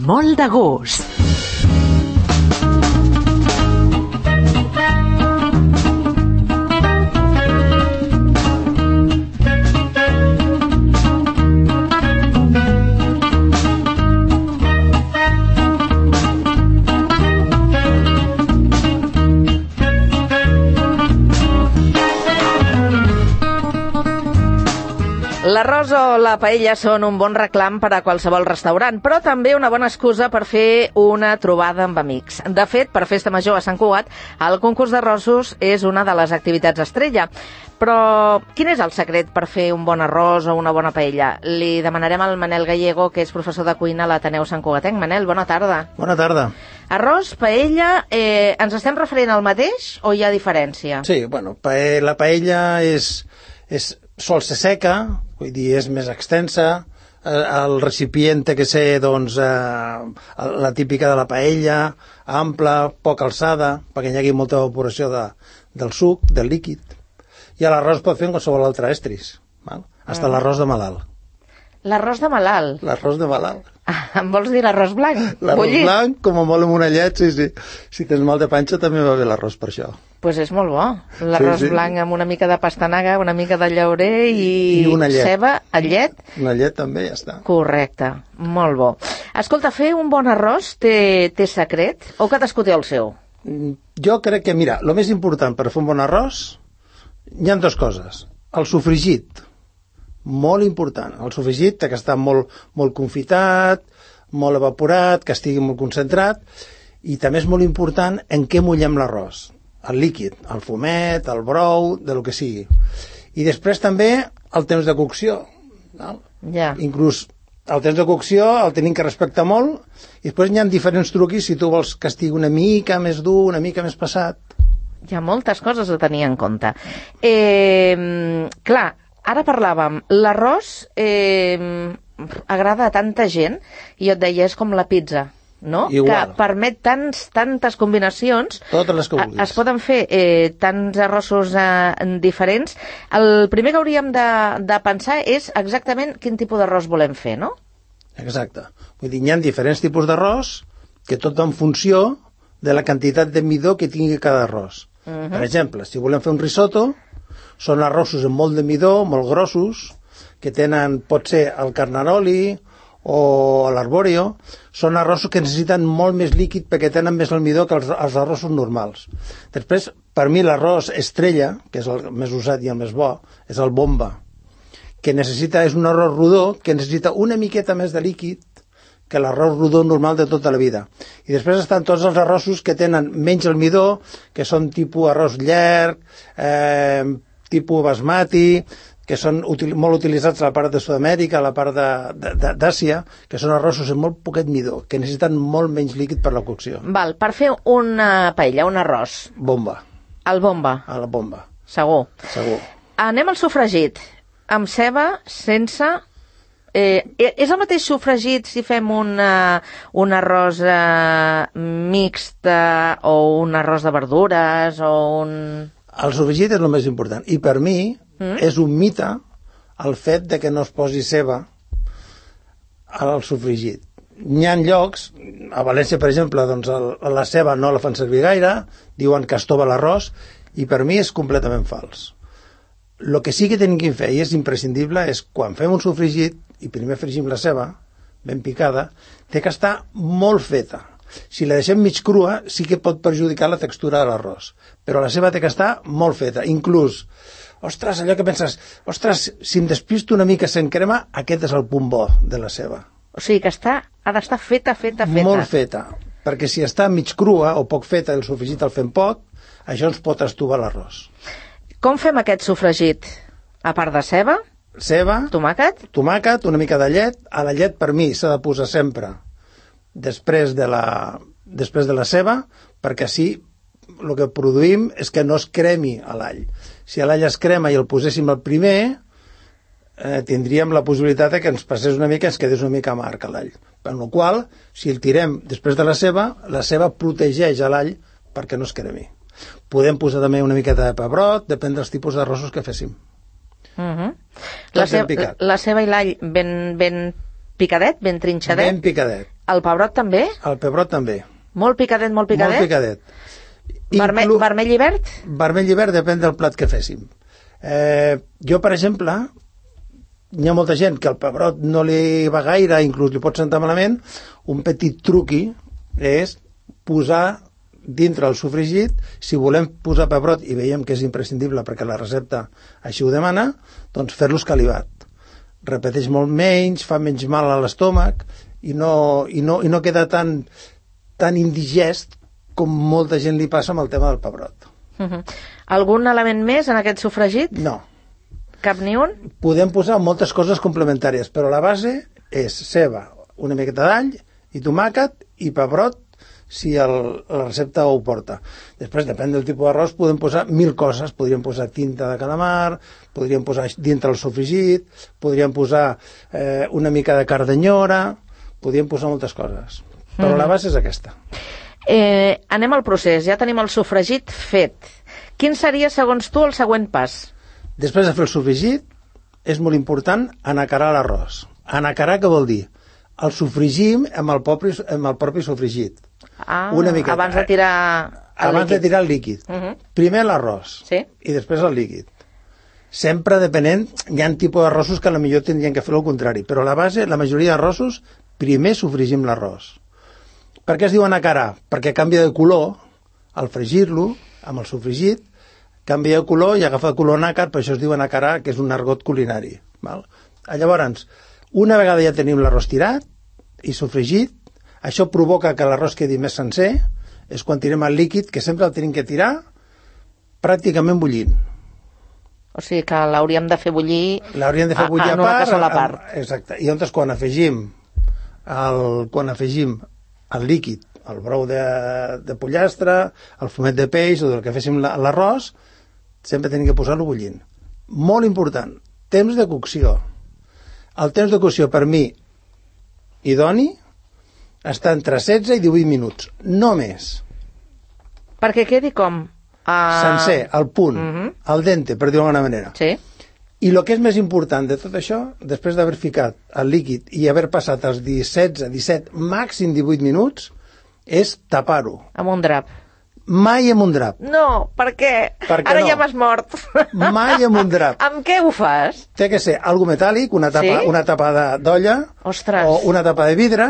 molt de gust. L'arròs o la paella són un bon reclam per a qualsevol restaurant, però també una bona excusa per fer una trobada amb amics. De fet, per Festa Major a Sant Cugat, el concurs d'arrossos és una de les activitats estrella. Però quin és el secret per fer un bon arròs o una bona paella? Li demanarem al Manel Gallego, que és professor de cuina a l'Ateneu Sant Cugatenc. Manel, bona tarda. Bona tarda. Arròs, paella, ens estem referint al mateix o hi ha diferència? Sí, bueno, la paella sol ser seca, vull dir, és més extensa, el recipient té que ser, doncs, la típica de la paella, ampla, poca alçada, perquè hi hagi molta evaporació del suc, del líquid. I l'arròs pot fer en qualsevol altre estris, fins l'arròs de malalt. L'arròs de malalt? L'arròs de malalt. Em vols dir l'arròs blanc? L'arròs blanc, com a molt amb una llet, sí. Si tens mal de panxa també va bé l'arròs per això. Pues és molt bo. L'arròs blanc amb una mica de pastanaga, una mica de llaurer i una llet. Ceba, llet. Una llet també, ja està. Correcte, molt bo. Escolta, fer un bon arròs té secret o cadascú té el seu? Jo crec que, mira, el més important per fer un bon arròs hi ha dues coses. El sofregit, molt important. El sofregit ha que estar molt confitat, molt evaporat, que estigui molt concentrat, i també és molt important en què mullem l'arròs. El líquid, el fumet, el brou, de lo que sigui. I després també el temps de cocció. Ja. Inclús el temps de cocció el tenim que respectar molt, i després hi ha diferents truquis si tu vols que estigui una mica més dur, una mica més passat. Hi ha moltes coses a tenir en compte. Clar, ara parlàvem, l'arròs agrada a tanta gent, i jo et deia, és com la pizza, no? Igual. Que permet tantes combinacions. Totes les que vulguis. Es poden fer tants arrossos diferents. El primer que hauríem de pensar és exactament quin tipus d'arròs volem fer, no? Exacte. Vull dir, hi ha diferents tipus d'arròs que tot en funció de la quantitat de midó que tingui cada arròs. Per exemple, si volem fer un risotto, són arrossos amb molt de midó, molt grossos, que tenen, pot ser el carnaroli o l'arborio, són arrossos que necessiten molt més líquid perquè tenen més almidó que els arrossos normals. Després, per mi l'arròs estrella, que és el més usat i el més bo, és el bomba, que és un arròs rodó que necessita una miqueta més de líquid que l'arròs rodó normal de tota la vida. I després estan tots els arrossos que tenen menys almidó, que són tipus arròs llarg, tipus basmati, que són molt utilitzats a la part de Sud-amèrica, a la part d'Àsia, que són arrossos amb molt poquet midó, que necessiten molt menys líquid per la cocció. Val, per fer una paella, un arròs. Bomba. El bomba. A la bomba. Segur. Segur. Anem al sofregit. Amb ceba, sense... és el mateix sofregit si fem un arròs mixt o un arròs de verdures o un... El sofregit és el més important. I per mi és un mite el fet de que no es posi ceba al sofregit. Hi ha llocs, a València, per exemple, doncs la ceba no la fan servir gaire, diuen que estova l'arròs, i per mi és completament fals. El que sí que tenim que fer, i és imprescindible, és quan fem un sofregit, i primer fregim la ceba, ben picada, té que estar molt feta. Si la deixem mig crua, sí que pot perjudicar la textura de l'arròs. Però la ceba té que estar molt feta. Inclús, ostres, allò que penses, ostres, si em despisto una mica sent crema, aquest és el punt bo de la ceba. O sigui que ha d'estar feta. Molt feta. Perquè si està mig crua o poc feta, el sofregit el fem poc, això ens pot estovar l'arròs. Com fem aquest sofregit? A part de ceba? Ceba, tomàquet, una mica de llet. A la llet, per mi, s'ha de posar sempre després de la ceba, perquè així el que produïm és que no es cremi a l'all. Si l'all es crema i el poséssim el primer, tindríem la possibilitat que ens passés una mica, ens quedés una mica amarg a l'all. Per la qual, si el tirem després de la ceba protegeix a l'all perquè no es cremi. Podem posar també una miqueta de pebrot, depèn dels tipus d'arrossos que féssim. La ceba i l'all ben picadet, ben trinxadet? Ben picadet. El pebrot també? El pebrot també. Molt picadet, molt picadet? Molt picadet. Vermell i verd? Vermell i verd depèn del plat que féssim. Jo, per exemple, hi ha molta gent que el pebrot no li va gaire, inclús li pot sentar malament. Un petit truqui és posar dintre el sofregit, si volem posar pebrot i veiem que és imprescindible perquè la recepta així ho demana, doncs fer-lo escalivat. Repeteix molt menys, fa menys mal a l'estómac i no queda tan indigest com molta gent li passa amb el tema del pebrot. Algun element més en aquest sofregit? No. Cap ni un? Podem posar moltes coses complementàries, però la base és ceba, una miqueta d'all i tomàquet i pebrot si la recepta ho porta. Després, depèn del tipus d'arròs, podem posar 1000 coses. Podríem posar tinta de calamar, podríem posar dintre el sofregit, podríem posar una mica de cardenyora, podríem posar moltes coses. Però la base és aquesta. Anem al procés. Ja tenim el sofregit fet. Quin seria, segons tu, el següent pas? Després de fer el sofregit, és molt important anacarar l'arròs. Anacarar què vol dir? El sofregim amb el propi sofregit. Una miqueta. Abans de tirar el líquid. Primer l'arròs i després el líquid. Sempre depenent, hi ha tipus d'arrossos que potser tindrien que fer el contrari, però la base, la majoria d'arrossos, primer sofregim l'arròs. Per què es diu anacarar? Perquè canvia de color al fregir-lo amb el sofregit, canvia de color i agafa el color nàcar, per això es diu anacarar, que és un argot culinari. Llavors, una vegada ja tenim l'arròs tirat i sofregit, això provoca que l'arròs quedi més sencer, és quan tirem el líquid, que sempre el tenim que tirar pràcticament bullint. O sigui que l'hauríem de fer bullir, en una cassola a part. Exacte. I llavors quan afegim el líquid, el brou de pollastre, el fumet de peix o del que féssim l'arròs, sempre tenim que posar-lo bullint. Molt important, temps de cocció. El temps de cocció per mi idoni està entre 16 i 18 minuts, no més. Perquè quedi com? Sencer, al punt, al dente, per dir-ho d'alguna manera. Sí. I el que és més important de tot això, després d'haver ficat el líquid i haver passat els 16, 17, màxim 18 minuts, és tapar-ho. Amb un drap. Mai amb un drap. No, per què? Ara no. Ja m'has mort. Mai amb un drap. Amb què ho fas? Té que ser algo metàl·lic, una tapa d'olla, o una tapa de vidre,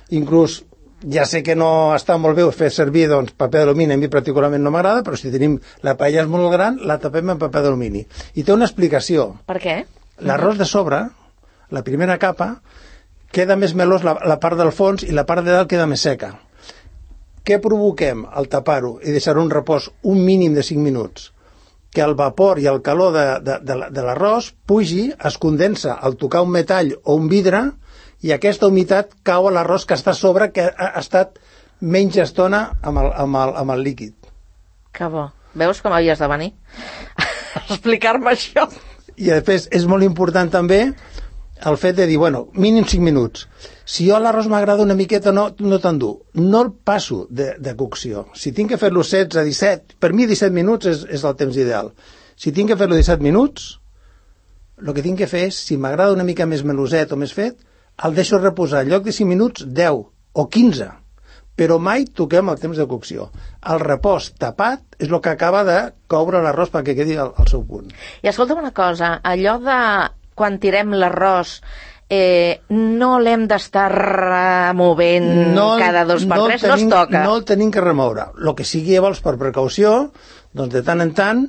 inclús ja sé que no està molt bé fer servir paper d'alumini, a mi particularment no m'agrada, però si tenim la paella és molt gran, la tapem amb paper d'alumini. I té una explicació. Per què? L'arròs de sobre, la primera capa, queda més melós la part del fons i la part de dalt queda més seca. Què provoquem al tapar-ho i deixar-ho en repòs un mínim de 5 minuts? Que el vapor i el calor de l'arròs pugi, es condensa al tocar un metall o un vidre, i aquesta humitat cau a l'arròs que està a sobre, que ha estat menys estona amb el líquid. Que bo. Veus com havies de venir a explicar-me això? I després és molt important també el fet de dir, mínim 5 minuts. Si jo l'arròs m'agrada una miqueta, no tan dur, no el passo de cocció. Si tinc que fer-lo 16, 17, per mi 17 minuts és el temps ideal. Si tinc que fer-lo 17 minuts, el que tinc que fer és, si m'agrada una mica més meloset o més fet, el deixo reposar en lloc de 5 minuts, 10 o 15, però mai toquem el temps de cocció. El repòs tapat és el que acaba de coure l'arròs perquè quedi al seu punt. I escolta'm una cosa, allò de quan tirem l'arròs no l'hem d'estar removent cada 2 per 3, no es toca. No el tenim que remoure. El que sigui llavors per precaució, doncs de tant en tant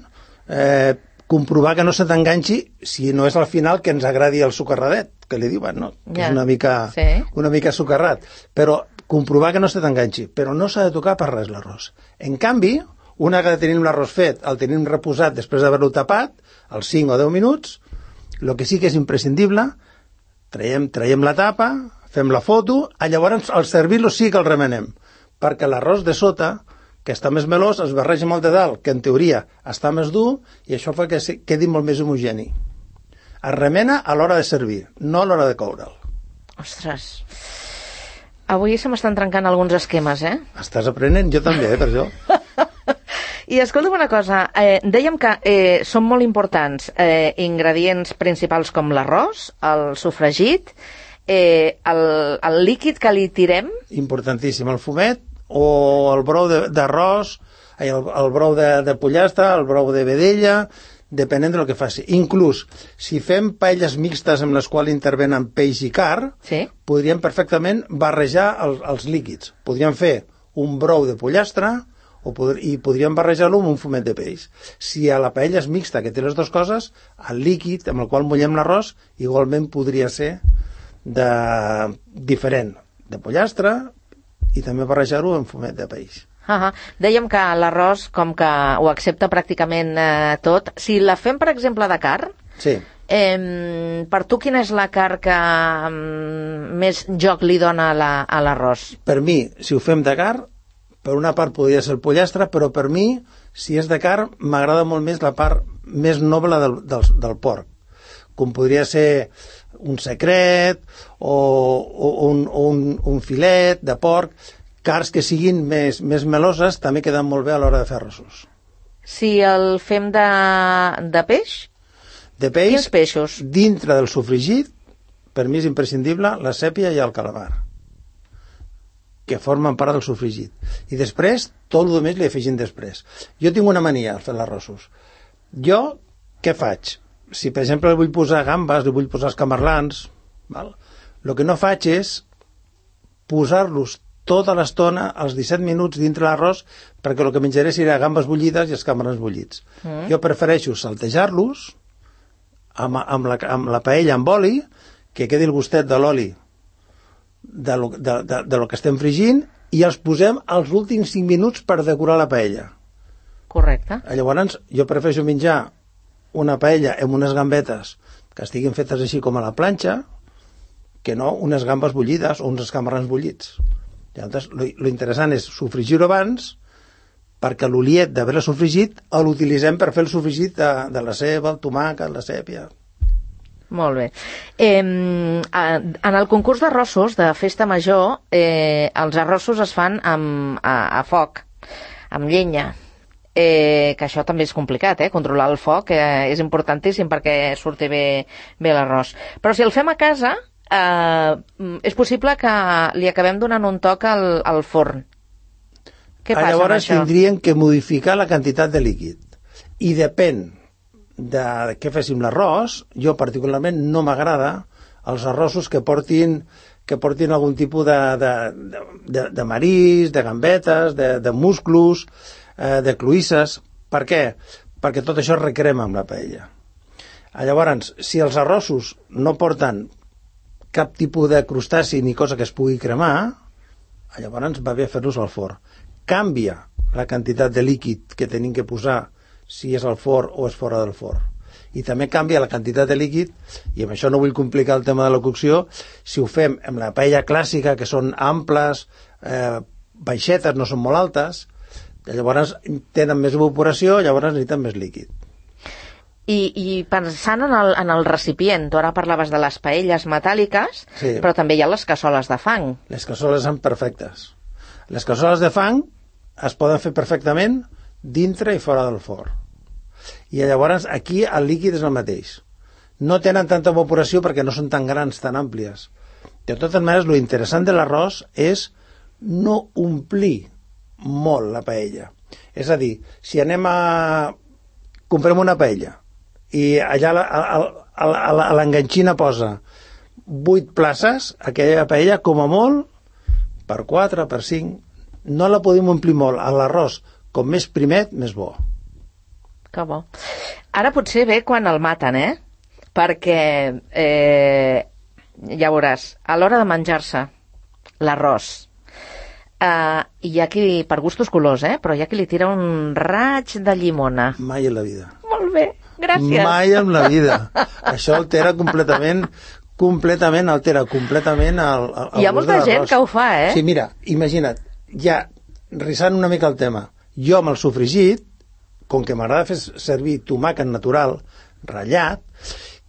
comprovar que no se t'enganxi, si no és al final que ens agradi el socarradet, que li diuen, no? Que és una mica socarrat. Però comprovar que no se t'enganxi. Però no s'ha de tocar per res l'arròs. En canvi, una vegada tenim l'arròs fet, el tenim reposat després d'haver-lo tapat, als 5 o 10 minuts, el que sí que és imprescindible, traiem la tapa, fem la foto, llavors al servir-lo sí que el remenem, perquè l'arròs de sota, que està més melós, es barreja amb el de dalt, que en teoria està més dur, i això fa que quedi molt més homogeni. Es remena a l'hora de servir, no a l'hora de coure'l. Ostres, avui se m'estan trencant alguns esquemes, Estàs aprenent, jo també, per això. I escolta'm una cosa, dèiem que són molt importants ingredients principals com l'arròs, el sofregit, el líquid que li tirem... Importantíssim, el fumet o el brou d'arròs, el brou de pollastre, el brou de vedella, depenent del que faci. Inclús, si fem paelles mixtes amb les quals intervenen peix i carn, Sí. podríem perfectament barrejar els líquids. Podríem fer un brou de pollastre i podríem barrejar-lo amb un fumet de peix. Si a la paella és mixta, que té les dues coses, el líquid amb el qual mullem l'arròs igualment podria ser diferent, de pollastre, i també barrejar-ho amb fumet de peix. Dèiem que l'arròs, com que ho accepta pràcticament tot, si la fem, per exemple, de carn, Sí. per tu quina és la carn que més joc li dona a l'arròs? Per mi, si ho fem de carn, per una part podria ser el pollastre, però per mi, si és de carn, m'agrada molt més la part més noble del porc, com podria ser un secret o un filet de porc. Carns que siguin més meloses també queden molt bé a l'hora de fer arrossos. Si el fem de peix? De peix, Quins peixos? dintre del sofregit, per mi és imprescindible la sèpia i el calamar, que formen part del sofregit. I després, tot el més li afegim després. Jo tinc una mania al fer els arrossos. Jo, què faig? Si, per exemple, li vull posar gambes, li vull posar escamarlans, el que no faig és posar-los tota l'estona, als 17 minuts dintre l'arròs, perquè el que menjaré serà gambes bullides i escamarlans bullits. Jo prefereixo saltejar-los amb la paella amb oli, que quedi el gustet de l'oli de lo que estem fregint, i els posem als últims 5 minuts per decorar la paella. Correcte. Llavors, jo prefereixo menjar una paella amb unes gambetes que estiguin fetes així com a la planxa, que no unes gambes bullides o uns escamarlans bullits. Llavors, lo interessant és sofregir-ho abans, perquè l'oliet d'haver-la sofregit l'utilitzem per fer el sofregit de la ceba, el tomàquet, la sèpia. Molt bé. En el concurs d'arrossos de Festa Major, els arrossos es fan a foc, amb llenya, que això també és complicat, controlar el foc és importantíssim perquè surti bé l'arròs. Però si el fem a casa, és possible que li acabem donant un toc al forn. Què passa amb això? Llavors tindríem que modificar la quantitat de líquid. I depèn de què féssim l'arròs. Jo particularment no m'agrada els arrossos que portin algun tipus de marís, de gambetes, de musclos, de cloïsses. Per què? Perquè tot això es recrema amb la paella. Llavors, si els arrossos no porten cap tipus de crustaci ni cosa que es pugui cremar, llavors va bé fer-los al forn. Canvia la quantitat de líquid que tenim que posar si és al forn o és fora del forn. I també canvia la quantitat de líquid, i amb això no vull complicar el tema de la cocció, si ho fem amb la paella clàssica, que són amples, baixetes, no són molt altes, llavors tenen més evaporació, llavors necessiten més líquid. I pensant en el recipient, tu ara parlaves de les paelles metàl·liques, sí. Però també hi ha les cassoles de fang. Les cassoles són perfectes. Les cassoles de fang es poden fer perfectament dintre i fora del forn. I llavors aquí el líquid és el mateix. No tenen tanta evaporació perquè no són tan grans, tan àmplies. De totes maneres, lo interessant de l'arròs és no omplir molt la paella. És a dir, si comprem una paella i allà a l'enganxina posa 8 places, aquella paella com a molt per 4, per 5, no la podem omplir molt. A l'arròs, com més primet, més bo. Que bo. Ara potser ve quan el maten, perquè ja veuràs, a l'hora de menjar-se l'arròs, hi ha qui, per gustos colors, però hi ha qui li tira un raig de llimona. Mai en la vida. Molt bé, gràcies. Mai en la vida. Això altera completament altera completament el hi ha molta gent que ho fa, Sí, mira, imagina't, ja risant una mica el tema, jo amb el sofregit, com que m'agrada fer servir tomàquet natural ratllat,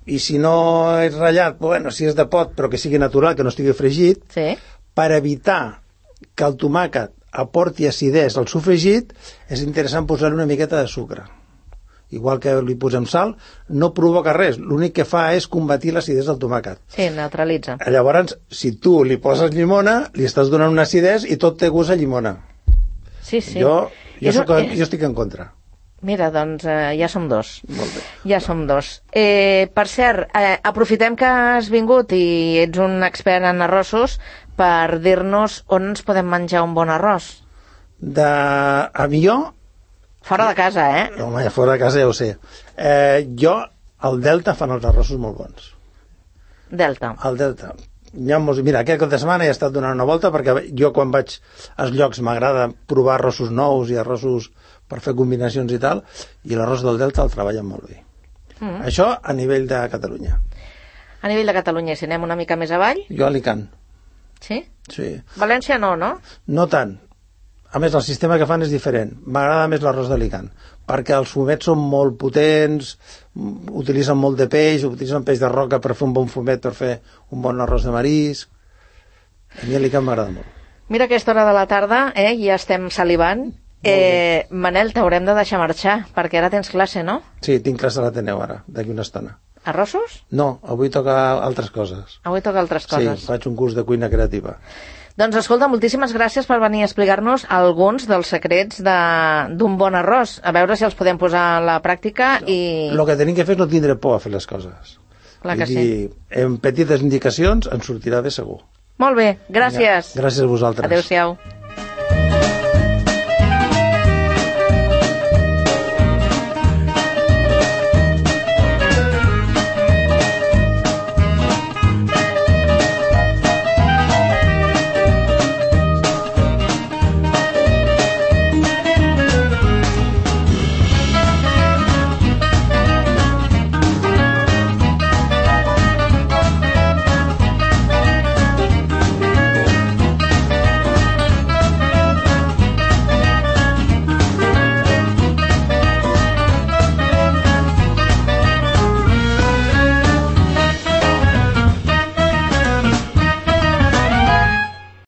i si no és ratllat, bueno, si és de pot però que sigui natural, que no estigui fregit, sí. Per evitar que el tomàquet aporti acidesa al sofregit, és interessant posar-hi una miqueta de sucre. igual que li posem sal, no provoca res. L'únic que fa és combatir l'acidesa del tomàquet. Sí, neutralitza. Llavors, si tu li poses llimona, li estàs donant una acidesa i tot té gust a llimona. Sí, sí. Jo estic en contra. Mira, doncs ja som dos. Molt bé. Ja som dos. Per cert, aprofitem que has vingut i ets un expert en arrossos per dir-nos on ens podem menjar un bon arròs. A millor... Fora de casa, eh? Home, fora de casa ja ho sé. Jo, al Delta fan els arrossos molt bons. Delta. Al Delta. Mira, aquest cap de setmana he estat donant una volta perquè jo quan vaig als llocs m'agrada provar arrossos nous i arrossos per fer combinacions i tal, i l'arròs del Delta el treballen molt bé. Això a nivell de Catalunya. A nivell de Catalunya, si anem una mica més avall? Jo a Alicant. Sí? Sí. València no, no? No tant. A més, el sistema que fan és diferent. M'agrada més l'arròs d'Alicant, perquè els fumets són molt potents, utilitzen molt de peix, utilitzen peix de roca per fer un bon fumet, per fer un bon arròs de marisc. A mi Alicant m'agrada molt. Mira aquesta hora de la tarda, ja estem salivant. Manel, t'haurem de deixar marxar, perquè ara tens classe, no? Sí, tinc classe a l'Ateneu ara, d'aquí una estona. Arrossos? No, avui toca altres coses. Avui toca altres coses. Sí, faig un curs de cuina creativa. Doncs escolta, moltíssimes gràcies per venir a explicar-nos alguns dels secrets d'un bon arròs. A veure si els podem posar a la pràctica i... El que tenim que fer és no tindre por a fer les coses. Clar que sí. En petites indicacions ens sortirà bé segur. Molt bé, gràcies. Gràcies a vosaltres. Adéu-siau.